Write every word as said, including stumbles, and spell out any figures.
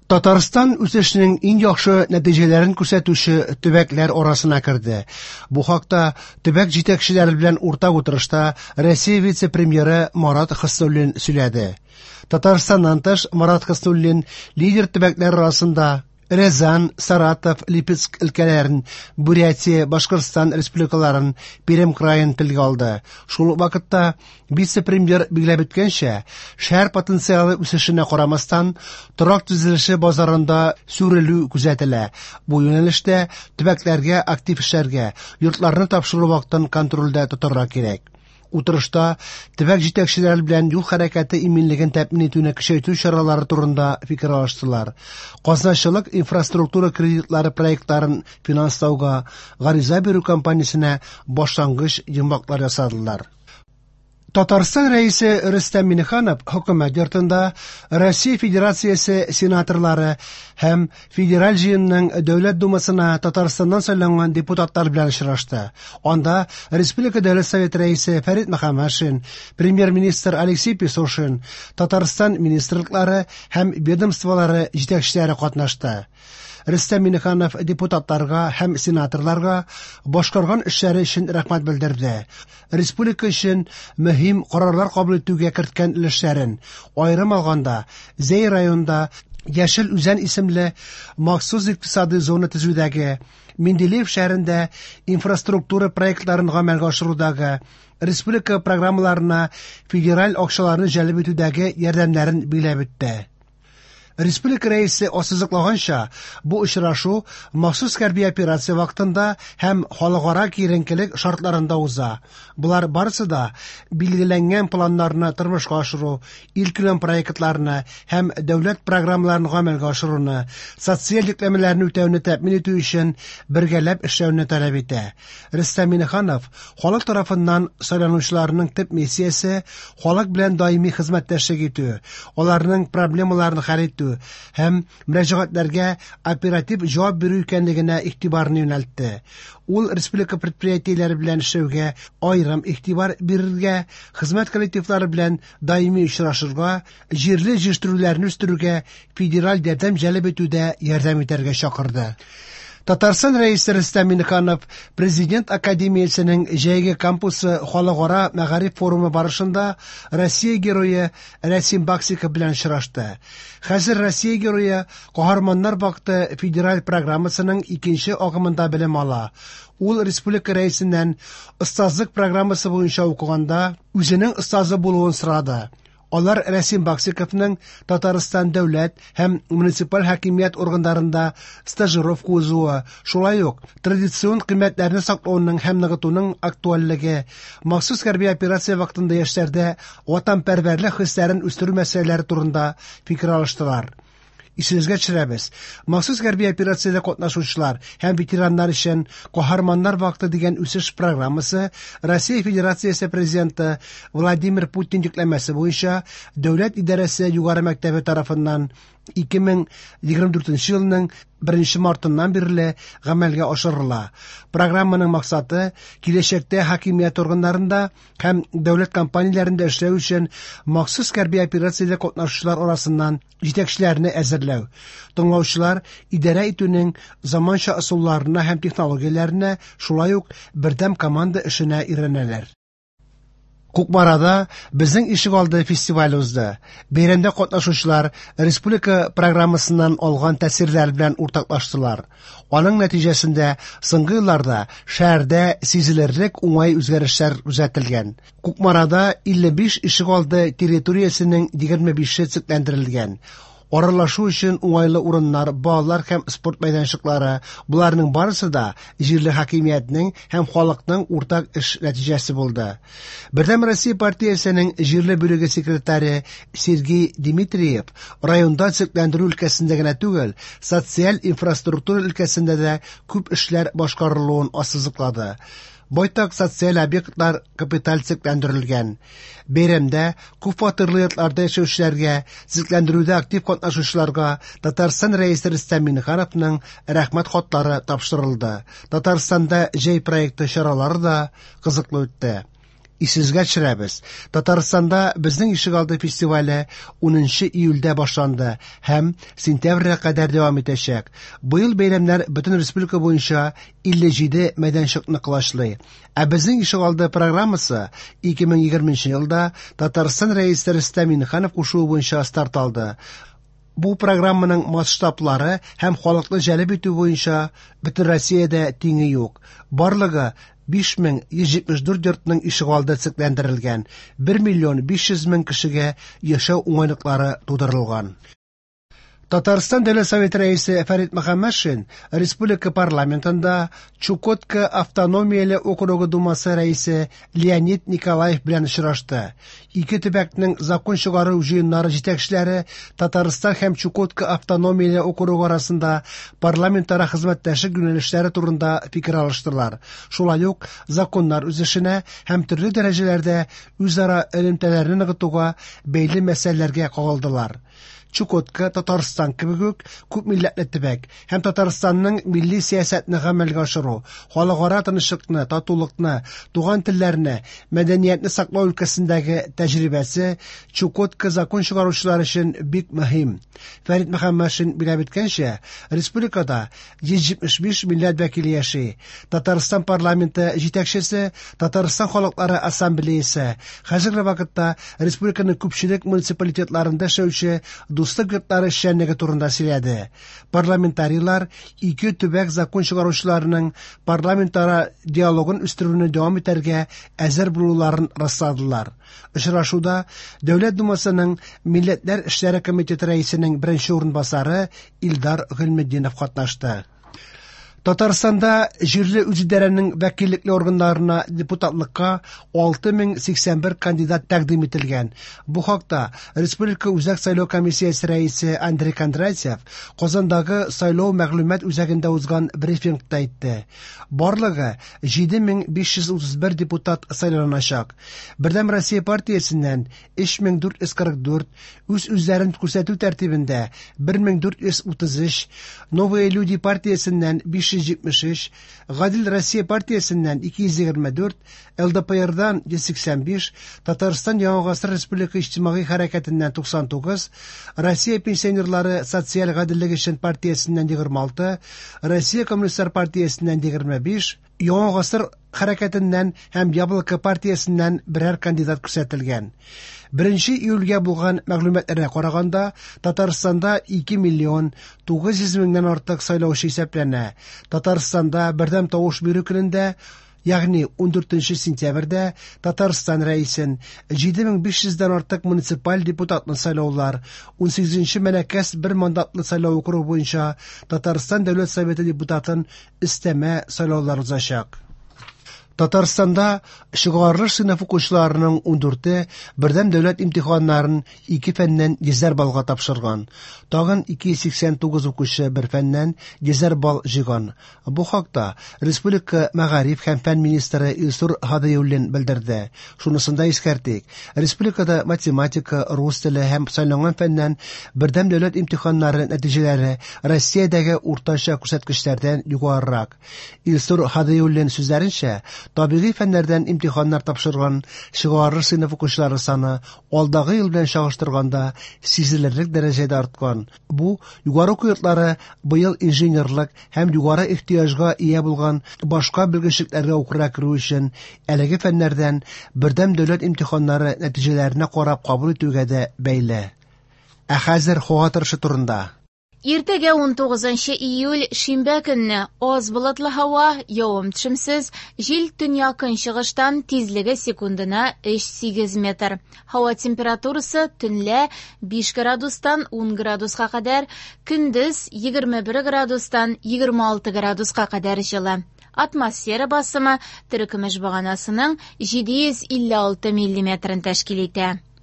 Татарстан үсешнең иң яхшы нәтиҗәләрен күрсәтүче төбәкләр арасына керде. Бу хакта төбәк җитәкчеләре белән уртак утырышта Россия вице-премьеры Марат Хөснуллин сөйләде. Татарстаннан тыш, Марат Хөснуллин лидер төбәкләр арасында Рязань, Саратов, Липецк өлкәләрен, Бурятия, Башкортстан республикаларын, Пермь краен телгә алды. Шул ук вакытта вице-премьер билгеләп үткәнчә, шәһәр потенциалы үсешенә карамастан, торак төзелеше базарында сүрелү күзәтелә. Бу юнәлештә төбәкләргә актив эшләргә, йортларны тапшыру вакытын контрольдә тотарга кирәк. Утырышта төбәк җитәкчеләре белән юл хәрәкәте иминлеген тәэмин итүне көчәйтү чаралары турында фикер алыштылар. Казначылык инфраструктура кредитлары проектларын финанслауга гариза бирү кампаниясенә башлангыч йомгаклар ясадылар. Татарстан Рәисе Рөстәм Миңнеханов Хөкүмәт йортында Россия Федерациясе сенаторлары һәм Федераль җыенның Дәүләт Думасына Татарстаннан сайланган депутатлар белән очрашты. Анда Республика Дәүләт Советы Рәисе Фәрит Мөхәммәтшин, Премьер-министр Алексей Песошин, Татарстан министрлыклары һәм ведомстволары җитәкчеләре катнашты. Рөстәм Миңнеханов депутатларга һәм сенаторларга башкарган эшләре өчен рәхмәт белдерде. Республика өчен мөһим карарлар кабул итүгә керткән өлешләрен, аерым алганда, Зәй районында Яшел Үзән исемле махсус икътисади зона төзүдәге, Менделеев шәһәрендә инфраструктура проектларын гамәлгә ашырудагы, республика программаларына федераль акчаларны җәлеп итүдәге ярдәмнәрен билгеләп үтте. Республика Рәисе ассызыклаганча, бу очрашу махсус хәрби операция вакытында һәм халыкара киеренкелек шартларында уза. Болар барысы да билгеләнгән планнарны тормышка ашыру, илкүләм проектларны һәм дәүләт программаларын гамәлгә ашыруны, социаль йөкләмәләрне үтәүне тәэмин итү өчен бергәләп эшләүне таләп итә. Рөстәм Миңнеханов халык тарафыннан сайланучыларның төп миссиясе халык белән даими хезмәттәшлек итү, аларның проблемаларын хәл итү һәм мөрәҗәгатьләргә оператив җавап бирү икәнлегенә игътибарны юнәлтте. Ул республика предприятиеләре белән эшләүгә аерым игътибар бирергә, хезмәт коллективлары белән даими очрашырга, җирле җитештерүләрне үстерүгә федераль ярдәм җәлеп итүдә ярдәм итәргә чакырды. Татарстан Рәисе Рөстәм Миңнеханов Президент академиясенең җәйге кампусы халыкара мәгариф форумы барышында Россия герое Рәсим Баксиков белән очрашты. Хәзер Россия герое Каһарманнар вакыты федераль программасының икенче агымында белем ала. Ул республика рәисеннән остазлык программасы буенча укыганда үзенең остазы булуын сорады. Алар Рәсим Баксиковның Татарстан дәүләт һәм муниципаль хакимият органнарында стажировка узуы, шулай ук традицион кыйммәтләрне саклауның һәм ныгытуның актуальлеге, махсус хәрби операция вакытында яшьләрдә ватанпәрвәрлек хисләрен үстерү мәсьәләләре турында фикер алыштылар. Исегезгә төшерәбез, махсус хәрби операциядә катнашучылар һәм ветераннар өчен Каһарманнар вакыты дигән үсеш программасы Россия Федерациясе Президенты Владимир Путин йөкләмәсе буенча Дәүләт идарәсе югары мәктәбе тарафыннан ике мең егерме дүртенче елның беренче мартыннан бирле гамәлгә ашырыла. Программаның максаты киләчәктә хакимият органнарында һәм дәүләт компанияләрендә эшләү өчен махсус хәрби операциядә катнашучылар арасыннан җитәкчеләрне әзерләү. Тыңлаучылар идарә итүнең заманча ысулларына һәм технологияләренә, шулай ук бердәм команда эшенә өйрәнәләр. Кукмарада Безнең ишегалды фестивале узды. Бәйрәмдә катнашучылар республика программасыннан алган тәэсирләр белән уртаклаштылар. Аның нәтиҗәсендә соңгы елларда шәһәрдә сизелерлек уңай үзгәрешләр күзәтелгән. Кукмарада илле биш ишегалды территориясенең егерме бише төзекләндерелгән. Аралашу өчен уңайлы урыннар, балалар һәм спорт мәйданчыклары, буларның барысы да җирле хакимиятнең һәм халыкның уртак эш нәтиҗәсе булды. Бердәм Россия партиясенең җирле бүлеге секретаре Сергей Дмитриев районда төзекләндерү өлкәсендә генә түгел, социаль инфраструктура өлкәсендә дә күп эшләр башкарылуын ассызыклады. Байтак социаль объектлар капиталь төзекләндерелгән. Бәйрәмдә күп фатирлы йортларда яшәүчеләргә, төзекләндерүдә актив катнашучыларга Татарстан Рәисе Рөстәм Миңнехановның рәхмәт хатлары тапшырылды. Татарстанда җәй проекты чаралары да кызыклы үтте. Исегезгә төшерәбез, Татарстанда «Безнең ишегалды» фестивале унынчы июльдә башланды һәм сентябрьгә кадәр дәвам итәчәк. Быел бәйрәмнәр бөтен республика буенча илле җиде мәйданчыкны колачлый. Ә «Безнең ишегалды» программасы ике мең егерменче елда Татарстан Рәисе Рөстәм Миңнеханов кушуы буенча старт алды. Бу программаның масштаблары һәм халыкны җәлеп итү буенча бөтен Россиядә тиңе юк. Барлыгы биш мең йөз җитмеш дүрт йортның ишегалды төзекләндерелгән, бер миллион биш йөз мең кешегә яшәү уңайлыклары тудырылган. Татарстан Дәүләт Советы рәисе Фәрит Мөхәммәтшин республика парламентында Чукотка автономияле округы думасы рәисе Леонид Николаев белән очрашты. Ике төбәкнең закон чыгару җыеннары җитәкчеләре Татарстан һәм Чукотка автономияле округы арасында парламентара хезмәттәшлек юнәлешләре турында фикер алыштылар. Шулай ук законнар үсешенә һәм төрле дәрәҗәләрдә үзара элемтәләрне ныгытуга бәйле мәсьәләләргә кагылдылар. Чукотка Татарстан кебек үк күп милләтле төбәк һәм Татарстанның милли сәясәтне гамәлгә ашыру, халыкара тынычлыкны, татулыкны, туган телләрне, мәдәниятне саклау өлкәсендәге тәҗрибәсе Чукотка закон чыгаручылар өчен бик мөһим. Фәрит Мөхәммәтшин билгеләп үткәнчә, республикада йөз җитмеш биш милләт вәкиле яши. Татарстан парламенты җитәкчесе, Татарстан халыклары ассамблеясы хәзерге вакытта республиканың күпчелек муниципалитетларында яшәүче дуслык йортлары эшчәнлеге турында сөйләде. Парламентарийлар ике төбәк закон чыгаручыларының парламентара диалогын үстерүне дәвам итәргә әзер булуларын расладылар. Очрашуда Дәүләт Думасының Милләтләр эшләре комитеты рәисенең беренче урынбасары Илдар Гыйльметдинов катнашты. Татарстанда җирле үзидарәнең вәкиллекле органнарына депутатлыкка алты мең сиксән бер кандидат тәкъдим ителгән. Бу хакта Республика Үзәк сайлау комиссиясе рәисе Андрей Кондратьев Казандагы сайлау мәгълүмат үзәгендә узган брифингта әйтте. Барлыгы җиде мең биш йөз утыз бер депутат сайланачак. Бердәм Россия партиясеннән өч мең дүрт йөз кырык дүрт, үз-үзләрен күрсәтү тәртибендә бер мең дүрт йөз утыз өч, Новые люди партиясеннән биш йөз җитмеш өч, Гадел Россия партиясеннән ике йөз егерме дүрт, Л Д П Рдан йөз сиксән биш, Татарстан Яңа Гасыр Республика Иҗтимагый Хәрәкәтеннән туксан тугыз, Россия пенсионерлары социаль гаделлек өчен партиясеннән егерме алты, Россия Коммунистлар партиясеннән егерме биш, Яңа Гасыр хәрәкәтеннән һәм Яблоко партиясеннән берәр кандидат күрсәтелгән. Беренче июльгә булган мәгълүматларга караганда, Татарстанда ике миллион тугыз йөз меңнән артык сайлаучы исәпләнә. Татарстанда бердәм тавыш бирү көнендә, ягъни ундүртенче сентябрьдә Татарстан рәисен җиде мең биш йөздән артык муниципаль депутатны сайлаулар, унсигезенче Мәләкәс бер мандатлы сайлау округы буенча Татарстан Дәүләт Советы депутатын өстәмә сайлаулар узачак. Татарстанда чыгарылыш сыйныф укучыларының ундүрте бердәм дәүләт имтиханнарын ике фәннән йөзәр баллга тапшырган. Тагын ике йөз сиксән тугыз укучы бер фәннән йөзәр балл җыйган. Бу хакта Республика мәгариф һәм фән министры Илсур Һадиуллин белдерде. Шунысын да искәртик, республикада математика, рус теле һәм сайланган фәннән бердәм дәүләт имтиханнары нәтиҗәләре Россиядәге уртача күрсәткечләрдән югарырак. Илсур Һадиуллин сүзләренчә, табигый фәннәрдән имтиханнар тапшырган чыгарылыш сыйныф укучылары саны алдагы ел белән чагыштырганда сизелерлек дәрәҗәдә арткан. Бу югары уку йортлары быел инженерлык һәм югары ихтыяҗга ия булган башка белгечлекләргә укырга керү өчен әлеге фәннәрдән бердәм дәүләт имтиханнары нәтиҗәләренә карап кабул итүгә дә бәйле. Ә хәзер һава торышы турында. Иртәгә унтугызынчы июль шимбә көнне аз болытлы һава, явым-төшемсез, җил төньяк-көнчыгыштан, тизлеге секундына өч сигез метр. Һава температурасы төнлә биш градустан ун градуска кадәр, көндез егерме бер градустан егерме алты градуска кадәр җылы. Атмосфера басымы терекөмеш баганасының җиде йөз илле алты миллиметрын тәшкил итә.